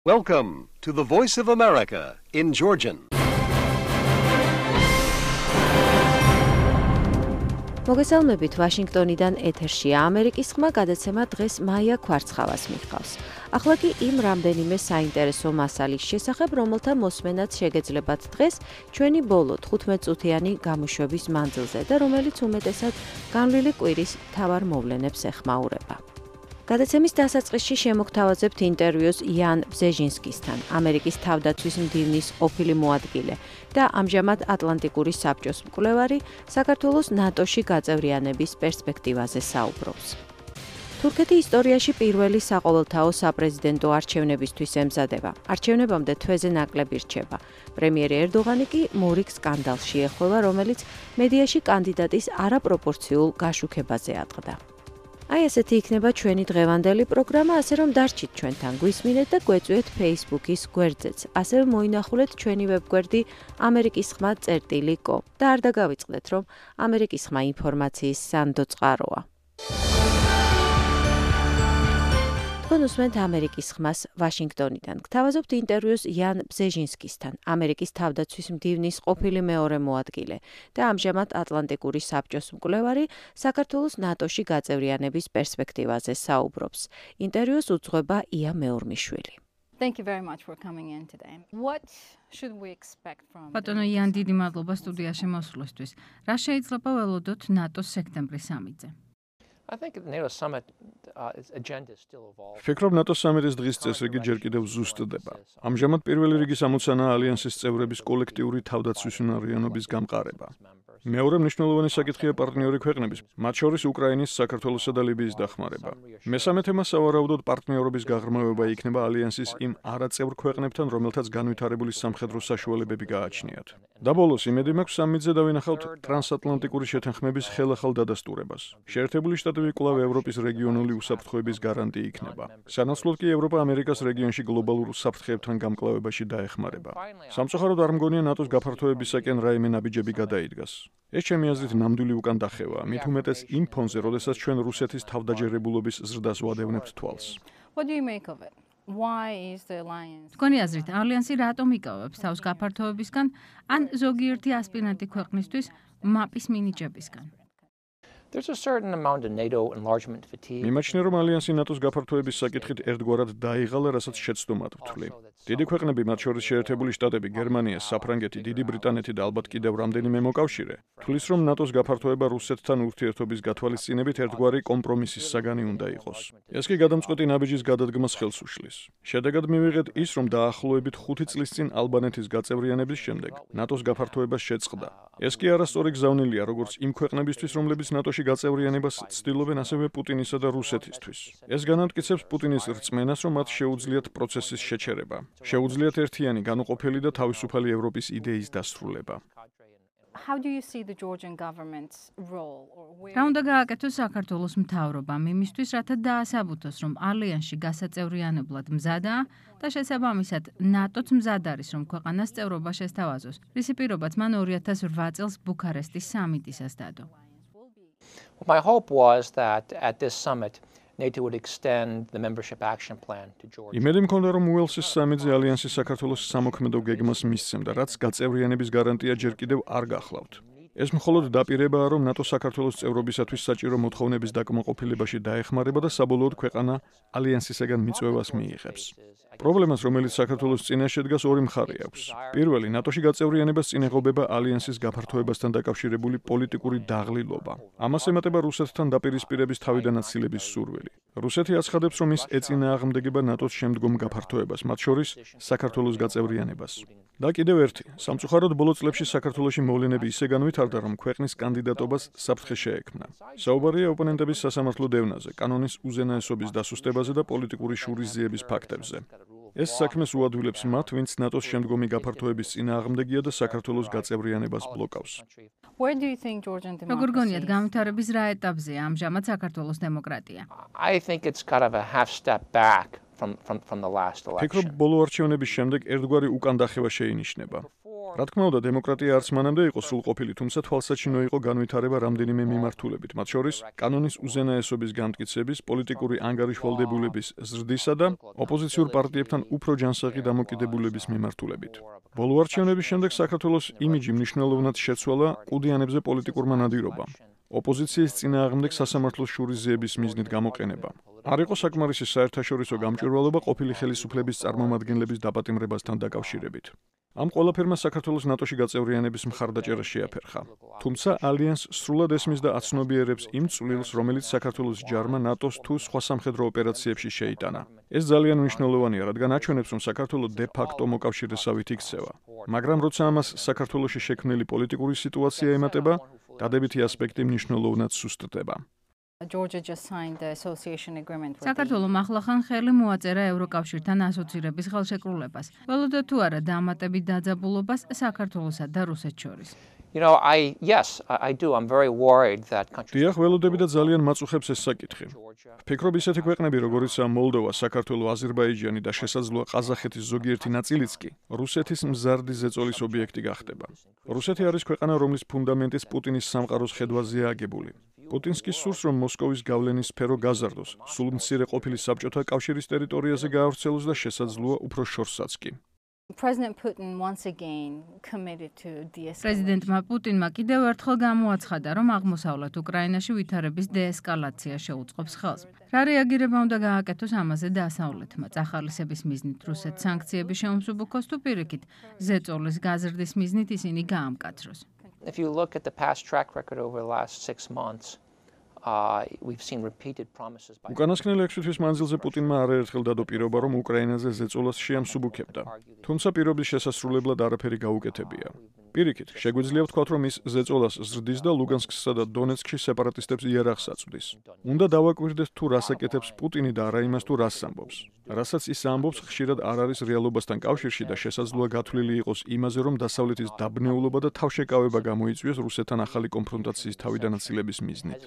Welcome to the Voice of America in Georgian. მოგესალმებით ვაშინგტონიდან ეთერშია ამერიკის ხმა გადაცემა დღეს მაია ქვარცხავას მიჰყავს. ახლა კი იმ რამდენიმე საინტერესო მასალის შესახებ, რომელთა მოსმენაც შეგეძლებათ დღეს ჩვენი ბოლო 15 წუთიანი გამოშვების მანძილზე და რომელიც უმეტესად განვლილი კვირის მთავარ მოვლენებს ეხმაურება. გადაცემის დასაწყისში შემოგთავაზებთ ინტერვიუს იან ბზეჟინსკისთან, ამერიკის თავდაცვის მდივნის ყოფილი მოადგილე და ამჟამად ატლანტიკური საბჭოს მკვლევარი, საქართველოს ნატოში გაწევრიანების პერსპექტივაზე საუბრობს. თურქეთი ისტორიაში პირველი საყოველთაო საპრეზიდენტო არჩევნებისთვის ემზადება. არჩევნებამდე თვეზე ნაკლები რჩება. პრემიერი ერდოღანი კი მორიგ სკანდალში ეხება, რომელიც მედიაში კანდიდატის არაპროპორციულ გაშუქებაზე ატყდა. აი ესეთი იქნება ჩვენი დღევანდელი პროგრამა, ასე რომ დარჩით ჩვენთან, გვისმინეთ და გვეწვიეთ Facebook-ის გვერდზეც. ასევე მოინახულეთ ჩვენი ვებგვერდი amerikisxma.com და არ დაგავიწყდეთ, რომ ამერიკის ხმა ინფორმაციის სანდო წყაროა. თქვენ უსმენთ ამერიკის ხმას ვაშინგტონიდან. გთავაზობთ ინტერვიუს იან ბზეჟინსკისთან, ამერიკის თავდაცვის მდივნის ყოფილი მეორე მოადგილე და ამჟამად ატლანტიკური საბჭოს მკვლევარი, საქართველოს ნატოში გაწევრიანების პერსპექტივაზე საუბრობს. ინტერვიუს უძღვება ია მეორმიშვილი. Thank you very much for coming in today. What should we expect from ბატონო იან, დიდი მადლობა სტუდიაში მოსვლისთვის. რა შეიძლება ველოდოთ ნატოს სექტემბრის სამიტზე? I think the NATO summit agenda is still evolving. Ფიქრობ ნატოს სამიტის დღის წესრიგი ჯერ კიდევ ზუსტდება. ამჟამად პირველი რიგის ამოცანაა ალიანსის წევრების კოლექტიური თავდაცვის უნარიანობის გამყარება. მეორე მნიშვნელოვანი საკითხია პარტნიორი ქვეყნების, მათ შორის უკრაინის, საქართველოსა და ლიბიის დახმარება. მესამე თემა სავარაუდოდ პარტნიორობის გაღრმავება იქნება ალიანსის იმ არაწევრ ქვეყნებთან, რომელთაც განვითარებული სამხედრო საშუალებები გააჩნიათ. და ბოლოს იმედი მაქვს სამიტზე დავინახავთ ტრანსატლანტიკური შეთანხმების ხელახალ დადასტურებას. შეერთებული შტატები კვლავ ევროპის რეგიონული უსაფრთხოების გარანტი იქნება. სანაცვლოდ კი ევროპა ამერიკას რეგიონში გლობალურ საფრთხეებთან გამკლავებაში დაეხმარება. სამწუხაროდ არ მგონია ნატოს გაფართოებისაკენ რაიმე ნაბიჯები გადაიდგას. ეს ჩემი აზრით ნამდვილი უკან დახევაა, მით უმეტეს იმ ფონზე, როდესაც ჩვენ რუსეთის თავდაჯერებულობის ზრდას ვადევნებთ თვალს. What do you make of it? Why is the alliance? თქვენი აზრით, ალიანსი რატომ იკავებს თავს გაფართოებისგან, ან ზოგიერთი ასპირანტი ქვეყნისთვის მაპის მინიჭებისგან? There's a certain amount of NATO enlargement fatigue. მიმაჩნია, რომ ალიანსი ნატოს გაფართოების საკითხით ერთგვარად დაიღალა, რასაც შეცდომად ვთვლი. დიდი ქვეყნები, მათ შორის შეერთებული შტატები, გერმანია, საფრანგეთი, დიდი ბრიტანეთი და ალბათ კიდევ რამდენიმე მოკავშირე, თვლის, რომ ნატოს გაფართოება რუსეთთან ურთიერთობის გათვალისწინებით ერთგვარი კომპრომისის საგანი უნდა იყოს. ეს კი გადამწყვეტი ნაბიჯის გადადგმას ხელს უშლის. შედეგად მივიღეთ ის, რომ დაახლოებით 5 წლის წინ ალბანეთის გაწევრიანების შემდეგ ნატოს გაფართოებას შეწყდა. ეს კი არასწორი გზავნილია როგორც იმ ქვეყნებისთვის, რომლებიც ნატოში გაწევრიანებას ცდილობენ, ასევე პუტინისა და რუსეთისთვის. ეს განამტკიცებს პუტინის რწმენას, რომ მათ შეუძლიათ პროცესის შეჩერება. შეუძლიათ ერთიანი, განუყოფელი და თავისუფალი ევროპის იდეის დასრულება. How do you see the Georgian government's role or where? რა უნდა გააკეთოს საქართველოს მთავრობამ იმისთვის, რათა დაასაბუთოს, რომ ალიანსში გასაწევრიანებლად მზადაა და შესაბამისად ნატოც მზად არის, რომ ქვეყანას წევრობა შესთავაზოს, რისი პირობაც მან 2008 წელს ბუქარესტის სამიტისას დადო. My hope was that at this summit, NATO would extend the membership action plan to Georgia. იმედი მქონდა, რომ უელსის სამიტზე ალიანსი საქართველოს სამოქმედო გეგმას მისცემდა, რაც გაწევრიანების გარანტია ჯერ კიდევ არ გახლავთ. ეს მხოლოდ დაპირებაა, რომ ნატო საქართველოს წევრობისათვის საჭირო მოთხოვნების დაკმაყოფილებაში დაეხმარება და საბოლოოდ ქვეყანა ალიანსისაგან მიწვევას მიიღებს. პრობლემას, რომელიც საქართველოს წინაშე დგას, ორი მხარე აქვს. პირველი, ნატოში გაწევრიანებას წინ ეღობება ალიანსის გაფართოებასთან დაკავშირებული პოლიტიკური დაღლილობა. ამას ემატება რუსეთთან დაპირისპირების თავიდან აცილების სურვილი. რუსეთი აცხადებს, რომ ის ეწინააღმდეგება ნატოს შემდგომ გაფართოებას, მათ შორის საქართველოს გაწევრიანებას. და კიდევ ერთი, სამწუხაროდ ბოლო წლებში საქართველოში მოვლენები ისე განვითარდა, რომ ქვეყნის კანდიდატობას საფრთხე შეექმნა. საუბარია ოპონენტების სასამართლო დევნაზე, კანონის უზენაესობის დასუსტებაზე და პოლიტიკური შურისძიების ფაქტებზე. ეს საქმეს უადვილებს მათ, ვინც ნატოს შემდგომი გაფართოების წინააღმდეგია და საქართველოს გაწევრიანებას ბლოკავს. Where do you think Georgian democracy? როგორ გონიათ განვითარების რა ეტაპზეა ამჟამად საქართველოს დემოკრატია? I think it's kind of a half step back from the last election. ფიქრობ, ბოლო არჩევნების შემდეგ ერთგვარი უკან დახევა შეინიშნება. რა თქმა უნდა, დემოკრატია არც მანამდე იყო სრულყოფილი, თუმცა თვალსაჩინო იყო განვითარება რამდენიმე მიმართულებით, მათ შორის კანონის უზენაესობის განმტკიცების, პოლიტიკური ანგარიშვალდებულების ზრდისა და ოპოზიციურ პარტიებთან უფრო ჯანსაღი დამოკიდებულების მიმართულებით. ბოლო არჩევნების შემდეგ საქართველოს იმიჯი მნიშვნელოვნად შეცვალა ყუდიანებზე პოლიტიკურმა ნადირობამ. ოპოზიციის წინააღმდეგ სასამართლოს შურისძიების მიზნით გამოყენება. არ იყო საკმარისი საერთაშორისო გამჭვირვალობა ყოფილი ხელისუფლების წარმომადგენლების დაპატიმრებასთან დაკავშირებით. ამ ყველაფერმა საქართველოს ნატოში გაწევრიანების მხარდაჭერა შეაფერხა. თუმცა ალიანსს სრულად ესმის და აცნობიერებს იმ წვლილს, რომელიც საქართველოს ჯარმა ნატოს თუ სხვა სამხედრო ოპერაციებში შეიტანა. ეს ძალიან მნიშვნელოვანია, რადგან აჩვენებს, რომ საქართველო დე-ფაქტო მოკავშირესავით იქცევა. მაგრამ როცა ამას საქართველოში შექმნილი პოლიტიკური სიტუაცია ემატება, დადებითი ასპექტი მნიშვნელოვნად სუსტდება. Georgia just signed the association agreement with საქართველომ ახლახან ხელი მოაწერა ევროკავშირთან ასოცირების ხელშეკრულებას. ველოდა თუ არა დამატებით დაძაბულობას საქართველოსა და რუსეთს შორის. I do. I'm very worried that countries. დიახ, ველოდები და ძალიან მაწუხებს ეს საკითხი. ვფიქრობ, ისეთი ქვეყნები, როგორიცაა მოლდოვა, საქართველო, აზერბაიჯანი და შესაძლოა ყაზახეთის ზოგიერთი ნაწილიც კი, რუსეთის მზარდი ზეწოლის ობიექტი გახდება. რუსეთი არის ქვეყანა, რომლის ფუნდამენტიც პუტინის სამყაროს ხედვაზეა აგებული. პუტინს კი სურს, რომ მოსკოვის გავლენის სფერო გაზარდოს, სულ მცირე ყოფილი საბჭოთა კავშირის ტერიტორიაზე გაავრცელოს და შესაძლოა უფრო შორსაც კი. President Putin once again committed to de-escalation. პრეზიდენტმა პუტინმა კიდევ ერთხელ გამოაცხადა, რომ აღმოსავლეთ უკრაინაში ვითარების დეესკალაცია შეუწყობს ხელს. რა რეაგირება უნდა გააკეთოს ამაზე დასავლეთმა? წახალისების მიზნით რუსეთს სანქციები შეუმსუბუქოს თუ პირიქით ზეწოლის გაზრდის მიზნით ისინი გაამკაცროს? If you look at the past track record over the last 6 months, we've seen repeated promises by უკანასკნელი 6 თვის მანძილზე პუტინმა არაერთხელ დადო პირობა, რომ უკრაინაზე ზეწოლას შეამსუბუქებდა. თუმცა პირობის შესასრულებლად არაფერი გაუკეთებია. პირიქით, შეგვიძლია ვთქვათ, რომ ის ზეწოლას ზრდის და ლუგანსკსა და დონეცკში სეპარატისტებს იარაღს აწვდის. უნდა დავაკვირდეთ თუ რას აკეთებს პუტინი და არა იმას თუ რას ამბობს. რასაც ის ამბობს, ხშირად არ არის რეალობასთან კავშირში და შესაძლოა გათვლილი იყოს იმაზე, რომ დასავლეთის დაბნეულობა და თავშეკავება გამოიწვიოს რუსეთთან ახალი კონფრონტაციის თავიდანაცილების მიზნით.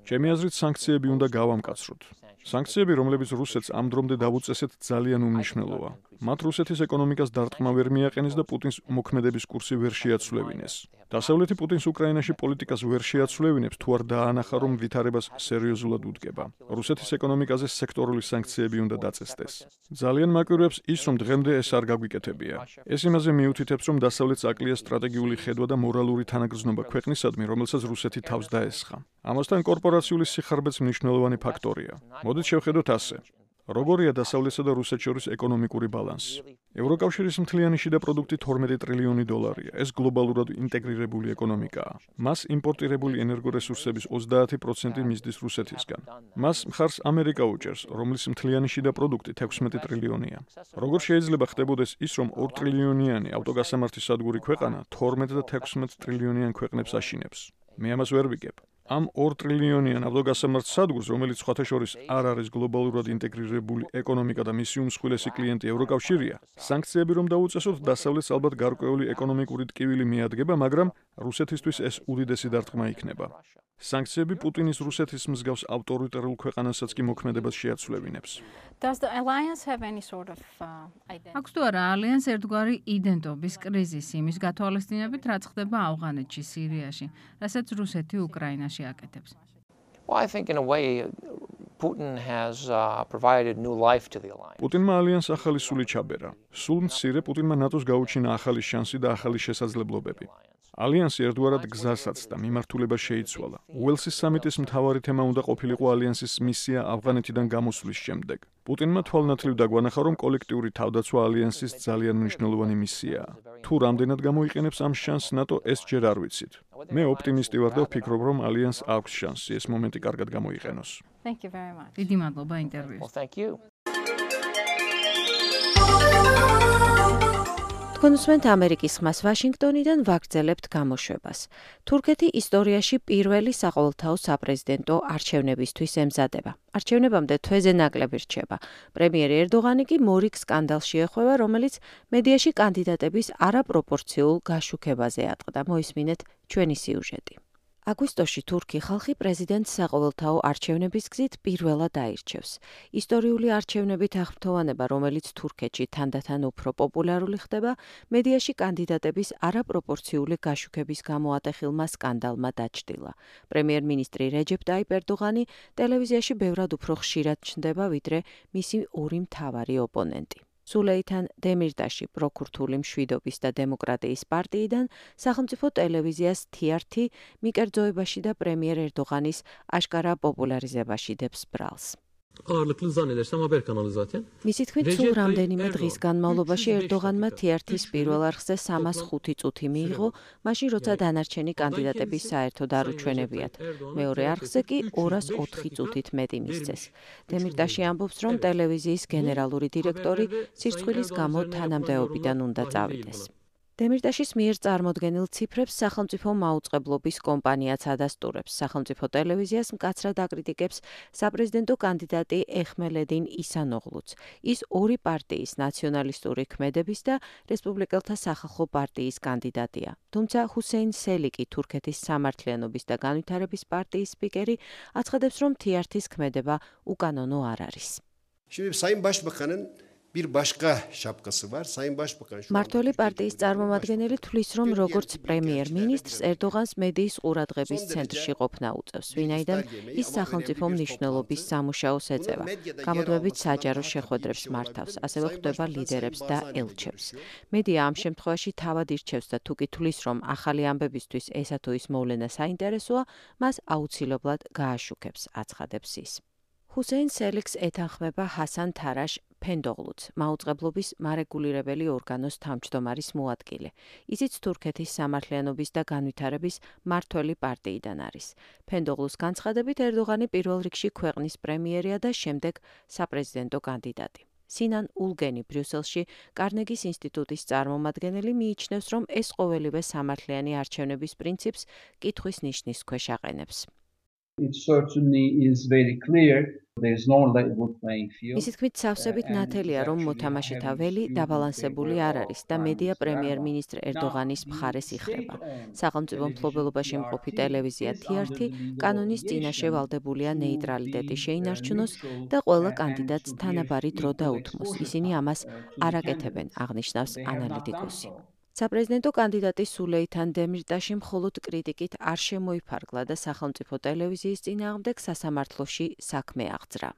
ჩემი აზრით, სანქციები უნდა გავამკაცროთ. სანქციები, რომლებიც რუსეთს ამ დრომდე დავუწესეთ, ძალიან უმნიშვნელოა. მათ რუსეთის ეკონომიკას დარტყმა ვერ მიაყენეს და პუტინს მოქმედების კურსი ვერ შეაცვლევინეს. დასავლეთი პუტინს უკრაინაში პოლიტიკას ვერ შეაცვლევინებს, თუ არ დაანახა, რომ ვითარებას სერიოზულად უდგება. რუსეთის ეკონომიკაზე სექტორული სანქციები უნდა დაწესდეს. ძალიან მაკვირვებს ის, რომ დღემდე ეს არ გაგვიკეთებია. ეს იმაზე მიუთითებს, რომ დასავლეთს აკლია სტრატეგიული ხედვა და მორალური თანაგრძნობა ქვეყნისადმი, რომელსაც რუსეთი თავს დაესხა. ამასთან კორპორაციული სიხარბეც მნიშვნელოვანი ფაქტორია. მოდით შევხედოთ ასე. როგორია დასავლეთსა და რუსეთს შორის ეკონომიკური ბალანსი? ევროკავშირის მთლიანი შიდა პროდუქტი 12 ტრილიონი დოლარია. ეს გლობალურად ინტეგრირებული ეკონომიკაა. მას იმპორტირებული ენერგორესურსების 30% მისდის რუსეთისგან. მას მხარს ამერიკა უჭერს, რომლის მთლიანი შიდა პროდუქტი 16 ტრილიონია. როგორ შეიძლება ხდებოდეს ის, რომ 2 ტრილიონიანი ავტოგასამართის სადგური ქვეყანა 12 და 16 ტრილიონიან ქვეყნებს აშინებს? მე ამას ვერ ვიგებ. ამ 2 ტრილიონიან ავტოგასამართ სადგურს, რომელიც სხვათა შორის არ არის გლობალურად ინტეგრირებული ეკონომიკა და მისი უმსხვილესი კლიენტი ევროკავშირია, სანქციები რომ დაუწესოთ, დასავლეთს ალბათ გარკვეული ეკონომიკური ტკივილი მიადგება, მაგრამ რუსეთისთვის ეს უდიდესი დარტყმა იქნება. სანქციები პუტინის რუსეთის მსგავს ავტორიტარულ ქვეყანასაც კი მოქმედებას შეაცვლევინებს. Does the alliance have any sort of identity? აქვს თუ არა ალიანსს ერთგვარი იდენტობის კრიზისი იმის გათვალისწინებით, რაც ხდება ავღანეთში, სირიაში, რასაც რუსეთი უკრაინაში აკეთებს? Well, I think in a way Putin has provided new life to the alliance. პუტინმა ალიანსს ახალი სული ჩაბერა. სულ მცირე პუტინმა ნატოს გაუჩინა ახალი შანსი და ახალი შესაძლებლობები. ალიანსი ერთგვარად გზასაც და მიმართულებას შეიცვალა. უელსის სამიტის მთავარი თემა უნდა ყოფილიყო ალიანსის მისია ავღანეთიდან გამოსვლის შემდეგ. პუტინმა თვალნათლივ დაგვანახა, რომ კოლექტიური თავდაცვა ალიანსის ძალიან მნიშვნელოვანი მისიაა. თუ რამდენად გამოიყენებს ამ შანსს ნატო, ეს ჯერ არ ვიცით. მე ოპტიმისტი ვარ და ვფიქრობ, რომ ალიანსს აქვს შანსი ეს მომენტი კარგად გამოიყენოს. Thank you very much. დიდი მადლობა ინტერვიუს. Well, thank you. თქვენ უსმენთ ამერიკის ხმას ვაშინგტონიდან ვაგრძელებთ გამოშვებას. თურქეთი ისტორიაში პირველი საყოველთაო საპრეზიდენტო არჩევნებისთვის ემზადება. არჩევნებამდე თვეზე ნაკლები რჩება. პრემიერი ერდოღანი კი მორიგ სკანდალში ეხვევა, რომელიც მედიაში კანდიდატების არაპროპორციულ გაშუქებაზე ატყდა. მოისმინეთ ჩვენი სიუჟეტი. აგვისტოში თურქი ხალხი პრეზიდენტ საყოველთაო არჩევნების გზით პირველად აირჩევს. ისტორიული არჩევნებით აღფრთოვანება, რომელიც თურქეთში თანდათან უფრო პოპულარული ხდება, მედიაში კანდიდატების არაპროპორციული გაშუქების გამო ატეხილმა სკანდალმა დაჩრდილა. პრემიერ-მინისტრი რეჯეპ ტაიპ ერდოღანი ტელევიზიაში ბევრად უფრო ხშირად ჩნდება, ვიდრე მისი ორი მთავარი ოპონენტი. სულეითან დემირტაში პროქურთული მშვიდობის და დემოკრატიის პარტიიდან სახელმწიფო ტელევიზიას TRT მიკერძოებაში და პრემიერ ერდოღანის აშკარა პოპულარიზებაში დებს ბრალს. Ağırlıklı zannedersem haber kanalı zaten. მისი თქმით, სულ რამდენიმე დღის განმავლობაში ერდოღანმა TRT-ს პირველ არხზე 305 წუთი მიიღო, მაშინ როცა დანარჩენი კანდიდატები საერთოდ არ უჩვენებიათ. მეორე არხზე კი 204 წუთით მეტი მისცეს. დემირტაში ამბობს, რომ ტელევიზიის გენერალური დირექტორი სირცხვილის გამო თანამდებობიდან უნდა წავიდეს. დემირტაშის მიერ წარმოდგენილ ციფრებს სახელმწიფო მაუწყებლობის კომპანიაც ადასტურებს. სახელმწიფო ტელევიზიას მკაცრად აკრიტიკებს საპრეზიდენტო კანდიდატი ეხმელედინ ისანოღლუც. ის ორი პარტიის ნაციონალისტური ქმედების და რესპუბლიკელთა სახალხო პარტიის კანდიდატია. თუმცა ჰუსეინ სელიკი, თურქეთის სამართლიანობის და განვითარების პარტიის სპიკერი, აცხადებს, რომ TRT-ს ქმედება უკანონო არ არის. Şimdi Sayın Başbakan'ın bir başka şapkası var. Sayın Başbakan şu მართველი პარტიის წარმომადგენელი თვლის, რომ როგორც პრემიერ-მინისტრს ერდოღანს მედიის ყურადღების ცენტრში ყოფნა უწევს, ვინაიდან ის სახელმწიფო მნიშვნელობის სამუშაოს ეწევა. გამოდმებით საჯარო შეხვედრებს მართავს, ასევე ხვდება ლიდერებს და ელჩებს. მედია ამ შემთხვევაში თავად ირჩევს და თუ კი თვლის, რომ ახალი ამბებისთვის ესა თუ ის მოვლენა საინტერესოა, მას აუცილებლად გააშუქებს, აცხადებს ის. ჰუსეინ სელიქს ეთანხმება ჰასან თარაშ ფენდოღლუც, მაუწყებლობის მარეგულირებელი ორგანოს თავმჯდომარის მოადგილე. ისიც თურქეთის სამართლიანობის და განვითარების მართველი პარტიიდან არის. ფენდოღლუს განცხადებით, ერდოღანი პირველ რიგში ქვეყნის პრემიერია და შემდეგ საპრეზიდენტო კანდიდატი. სინან ულგენი ბრიუსელში კარნეგის ინსტიტუტის წარმომადგენელი მიიჩნევს, რომ ეს ყოველივე სამართლიანი არჩევნების პრინციპს კითხვის ნიშნის ქვეშ აყენებს. It certainly is very clear. There is no level playing field. ისიც თქმით, სავსებით ნათელია, რომ მოთამაშეთა ველი დაბალანსებული არ არის და მედია პრემიერ-მინისტრ ერდოღანის მხარეს იხრება. სახელმწიფო მფლობელობაში მყოფი ტელევიზია TRT კანონის წინაშე ვალდებულია ნეიტრალიტეტი შეინარჩუნოს და ყველა კანდიდატს თანაბარი დრო დაუთმოს. ისინი ამას არ აკეთებენ, აღნიშნავს ანალიტიკოსი. საპრეზიდენტო კანდიდატი სულეითან დემირტაში მხოლოდ კრიტიკით არ შემოიფარგლა და სახელმწიფო ტელევიზიის წინააღმდეგ სასამართლოში საქმე აღძრა.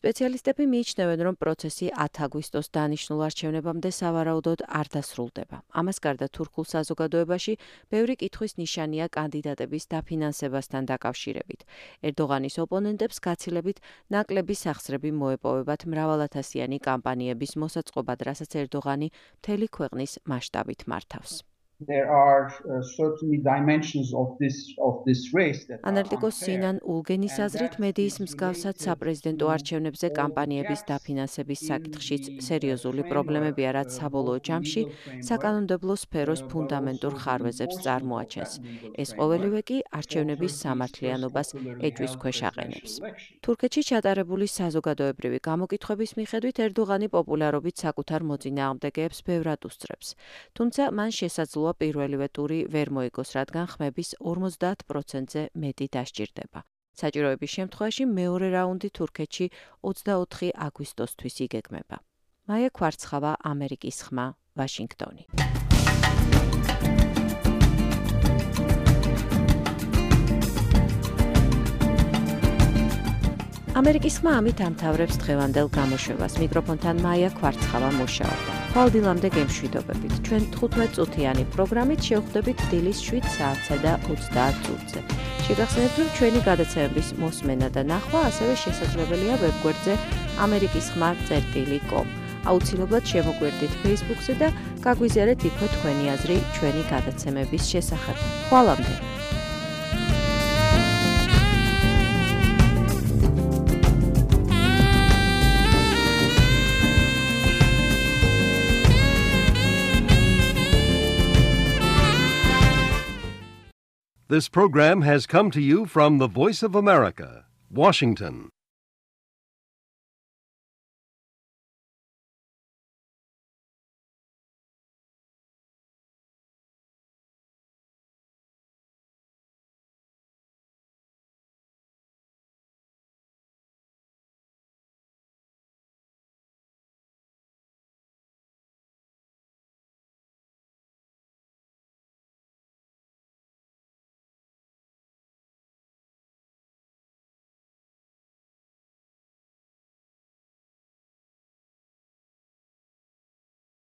სპეციალისტები მიიჩნევენ, რომ პროცესი 10 აგვისტოს დანიშნულ არჩევნებამდე სავარაუდოდ არ დასრულდება. ამას გარდა თურქულ საზოგადოებაში ბევრი კითხვის ნიშანია კანდიდატების დაფინანსებასთან დაკავშირებით. ერდოღანის ოპონენტებს გაცილებით ნაკლები სახსრები მოეპოვებათ მრავალათასიანი კამპანიების მოსაწყობად, რასაც ერდოღანი მთელი ქვეყნის მასშტაბით მართავს. There are certainly dimensions of this race that ანალიტიკოს სინან ულგენის აზრით, მედიის მსგავსად საპრეზიდენტო არჩევნებზე კამპანიების დაფინანსების საკითხშიც სერიოზული პრობლემებია, რაც საბოლოო ჯამში საკანონმდებლო სფეროს ფუნდამენტურ ხარვეზებს წარმოაჩენს. ეს ყოველივე კი არჩევნების სამართლიანობას ეჭვის ქვეშ აყენებს. თურქეთში ჩატარებული საზოგადოებრივი გამოკითხვების მიხედვით ერდოღანი პოპულარობით საკუთარ მოწინააღმდეგეებს ბევრად უსწრებს. თუმცა მან შესაძლოა პირველივე ტური ვერ მოიგოს, რადგან ხმების 50%-ზე მეტი დასჭირდება. საჭიროების შემთხვევაში მეორე რაუნდი თურქეთში 24 აგვისტოსთვის იგეგმება. მაია კვარცხავა, ამერიკის ხმა, ვაშინგტონი. ამერიკის ხმა ამით ამთავრებს დღევანდელ გამოშვებას. მიკროფონთან მაია კვარცხავა მუშაობდა. ხვალდილამდე გემშვიდობებით. ჩვენ 15 წუთიანი პროგრამით შევხვდებით დილის 7 საათსა და 30 წუთზე. შეგახსენებთ, რომ ჩვენი გადაცემების მოსმენა და ნახვა ასევე შესაძლებელია ვებგვერდზე amerikiskhma.com. აუცილებლად შემოგვერდით Facebook-ზე და გაგვიზიარეთ იქვე თქვენი აზრი ჩვენი გადაცემების შესახებ. ხვალამდე. This program has come to you from the Voice of America, Washington.